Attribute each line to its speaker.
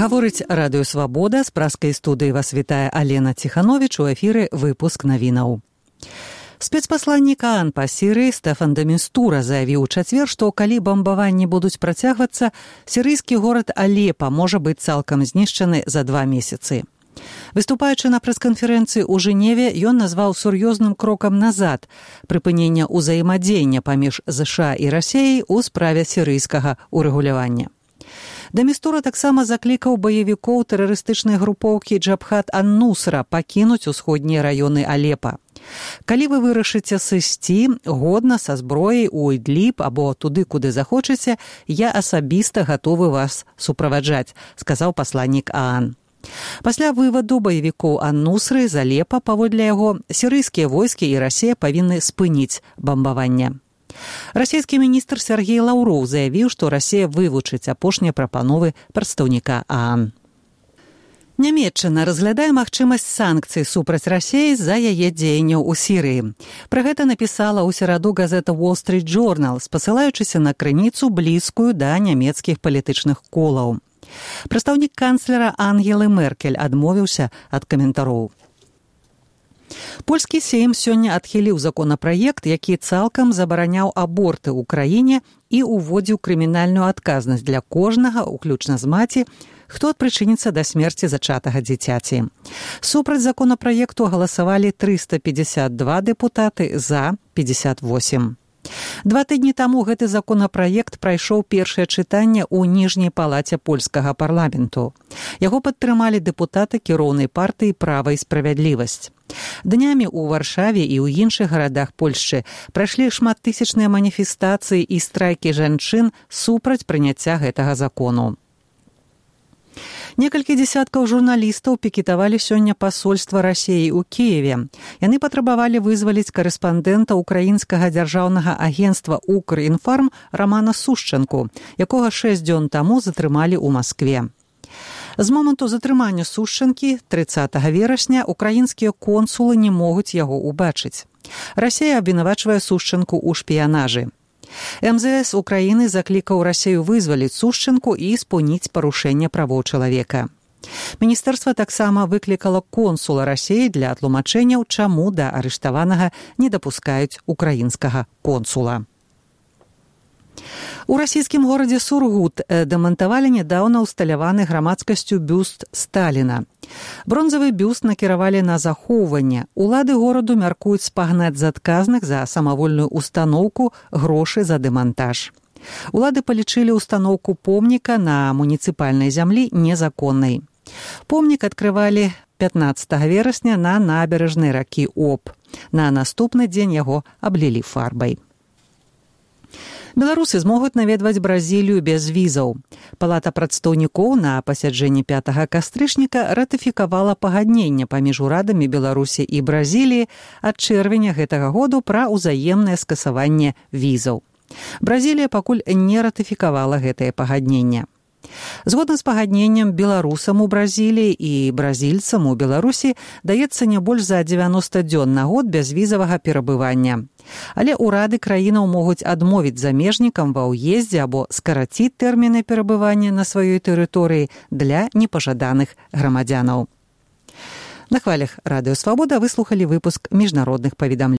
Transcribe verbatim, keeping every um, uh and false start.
Speaker 1: Гаворыць радыё «Свабода», з праскай студыі вас вітае Алена Ціхановіч, у эфіры выпуск навінаў. Спецпасланнік ААН па Сірыі Стэфан де Містура заявіў у чацвер, што калі бамбаванні будуць працягвацца, сірыйскі горад Алепа можа быць цалкам знішчаны за два месяцы. Выступаючы на прэс-канферэнцыі ў Жэневе, ён назваў сур'ёзным крокам назад прыпынення ўзаемадзеяння паміж ЗША і Расіяй у справе сірыйскага урэгулявання. де Містура таксама заклікаў баевікоў тэрарыстычнай групоўкі Джабхат ан-Нусра пакінуць усходнія раёны Алепа. Калі вы вырашыце сысці годна са зброяй у Ідліб або туды, куды захочаце, я асабіста гатовы вас суправаджаць, сказаў пасланнік ААН. Пасля вываду баевікоў ан-Нусры з Алепа, паводле яго, сірыйскія войскі і Расія павінны спыніць бамбаванне. Расійскі міністр Сергей Лаўроў заявіў, што Расія вывучыць апошнія прапановы прадстаўніка ААН. Нямецчына разглядае магчымасць санкцый супраць Расіі за яе дзеянняў у Сірыі. Пра гэта напісала ў сераду газета Wall Street Journal, спасылаючыся на крыніцу, блізкую да нямецкіх палітычных колаў. Прадстаўнік канцлера Ангелы Меркель адмовіўся ад каментароў. Польскі сейм сёння адхіліў законапраект, які цалкам забараняў аборты ў краіне і ўводзіў крымінальную адказнасць для кожнага, уключна з маці, хто прычыніцца да смерці зачатага дзіцяці. Супраць законапраекту галасавалі трыста пятьдесят два дэпутаты, за пятьдесят восемь. Два тыдні таму гэты законапраект прайшоў першае чытанне ў ніжняй палаце польскага парламенту. Яго падтрымалі дэпутаты кіроўнай партыі «Права і справядлівасць». Днямі ў Варшаве і ў іншых гарадах Польшчы прайшлі шматтысячныя маніфестацыі і страйкі жанчын супраць прыняцця гэтага закону. Некалькі дзесяткаў журналістаў пікетавалі сёння пасольства Расіі ў Кіеве. Яны патрабавалі вызваліць карэспандэнта украінскага дзяржаўнага агенцтва «Укрінфарм» Рамана Сушчанку, якога шэсць дзён таму затрымалі ў Маскве. З моманту затрымання Сушчанкі трыццатага верасня украінскія консулы не могуць яго ўбачыць. Расія абвінавачвае Сушчанку ў шпіянажы. эм зэ эс Украіны заклікаў Расію вызваліць Сушчанку і спыніць парушэнне правоў чалавека. Міністэрства таксама выклікала консула Расіі для тлумачэнняў, чаму да арыштаванага не дапускаюць украінскага консула. У расійскім горадзе Сургут дэмантавалі нядаўна ўсталяваны грамадскасцю бюст Сталіна. Бронзавы бюст накіравалі на захоўванне. Улады гораду мяркуюць спагнаць з адказных за самавольную устаноўку грошы за дэмантаж. Улады палічылі устаноўку помніка на муніцыпальнай зямлі незаконнай. Помнік адкрывалі пятнаццатага верасня на набярэжнай ракі Обь. На наступны дзень яго аблілі фарбай. Беларусы змогуць наведваць Бразілію без візаў. Палата прадстаўнікоў на пасяджэнні пятага кастрычніка ратыфікавала пагадненне паміж урадамі Беларусі і Бразіліі ад чэрвеня гэтага году пра ўзаемнае скасаванне візаў. Бразілія пакуль не ратыфікавала гэтае пагадненне. Згодна з пагадненнем, беларусам у Бразіліі і бразільцам у Беларусі даецца не больш за дзевяноста дзён на год бязвізавага перабывання. Але ўрады краінаў могуць адмовіць замежнікам ва ўездзе або скараціць тэрміны перабывання на сваёй тэрыторыі для непажаданых грамадзянаў. На хвалях радыё «Свабода» выслухалі выпуск міжнародных паведамленняў.